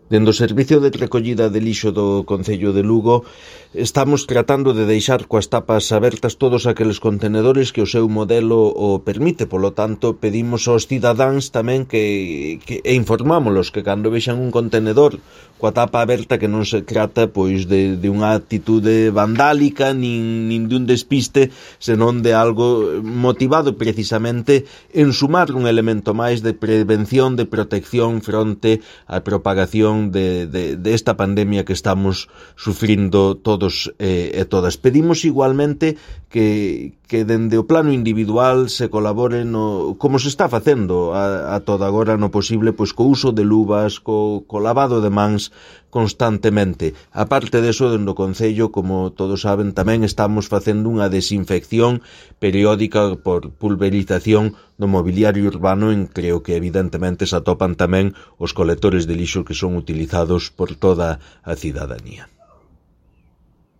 Dende o Servicio de Recollida de Lixo do Concello de Lugo estamos tratando de deixar coas tapas abertas todos aqueles contenedores que o seu modelo o permite, polo tanto pedimos aos cidadáns tamén e informámolos que cando vexan un contenedor coa tapa aberta que non se trata pois de unha actitude vandálica nin de un despiste, senón de algo motivado precisamente en sumar un elemento máis de prevención, de protección fronte á propagación desta pandemia que estamos sufrindo todos e todas. Pedimos igualmente que dende o plano individual se colabore como se está facendo a toda agora no posible, pois co uso de luvas, co lavado de mans constantemente. A parte deso, dende o Concello, como todos saben, tamén estamos facendo unha desinfección periódica por pulverización do mobiliario urbano en creo que evidentemente se atopan tamén os colectores de lixo que son utilizados por toda a cidadanía.